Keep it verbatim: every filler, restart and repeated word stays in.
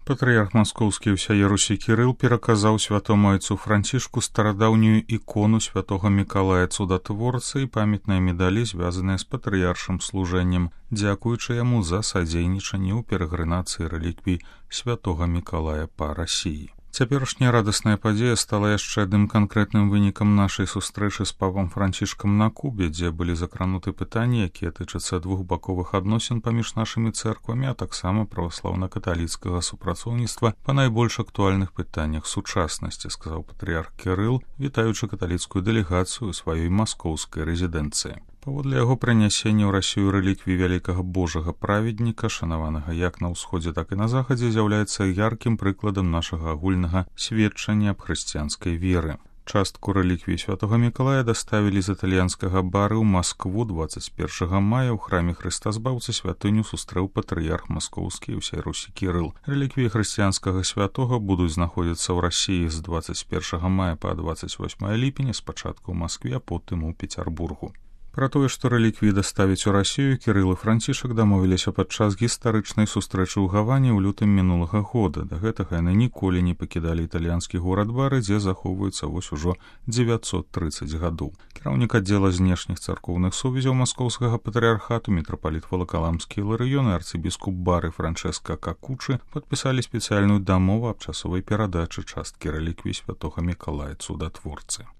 Патрыярх маскоўскі ўсяе Русі Кірыл пераказаў святому айцу Францішку старадаўнюю ікону святога Мікалая цудатворцы і памятныя медалі, звязаныя з патрыяршым служэннем, дзякуючы яму за садзейнічанне ў перагрынацыі рэліквій святога Мікалая па Расіі. Цяперашняя радасная падзея стала яшчэ адным канкрэтным вынікам нашай сустрэчы з папам Францішкам на Кубе, дзе былі закрануты пытанні, якія тычацца двухбаковых адносін паміж нашымі цэрквамі, а таксама праваслаўна-каталіцкага супрацоўніцтва па найбольш актуальных пытаннях сучаснасці, сказаў патрыярх Кірыл, вітаючы каталіцкую дэлегацыю ў сваёй маскоўскай рэзідэнцыі. Паводле яго прынясення ў Расію рэліквій вялікага божага праведніка, шанаванага як на ўсходзе, так і на захадзе, з'яўляецца яркім прыкладам нашага агульнага сведчання аб хрысціянскай веры. Частку рэліквій святога Мікалая даставілі з італьянскага бары ў Маскву дваццаць першага мая ў храме Хрыстазбаўцы святыню сустрэў патрыярх маскоўскі ўсяй Русі Кірыл. Рэліквіі хрысціянскага святога будуць знаходзіцца ў Расіі з дваццаць першага мая па дваццаць восьмае ліпеня, спачатку ў Маскве, а потым у Пецярбургу. Пра тое, што рэліквіі даставіць у Расію, Кірыл і Францішак дамовіліся падчас гістарычнай сустрэчы ў Гаване ў лютым мінулага года. Да гэтага яны ніколі не пакідалі італьянскі горад Бары, дзе захоўваецца вось ужо дзевяцьсот трыццаць гадоў. Кіраўнік аддзела знешніх царкоўных сувязяў маскоўскага патрыярхату, мітрапаліт Валакаламскі Іларыён і арцыбіскуп Бары Франчэска Какучы падпісалі спецыяльную дамову аб часовай перадачы часткі рэліквій святога Мікалая цудатворцы.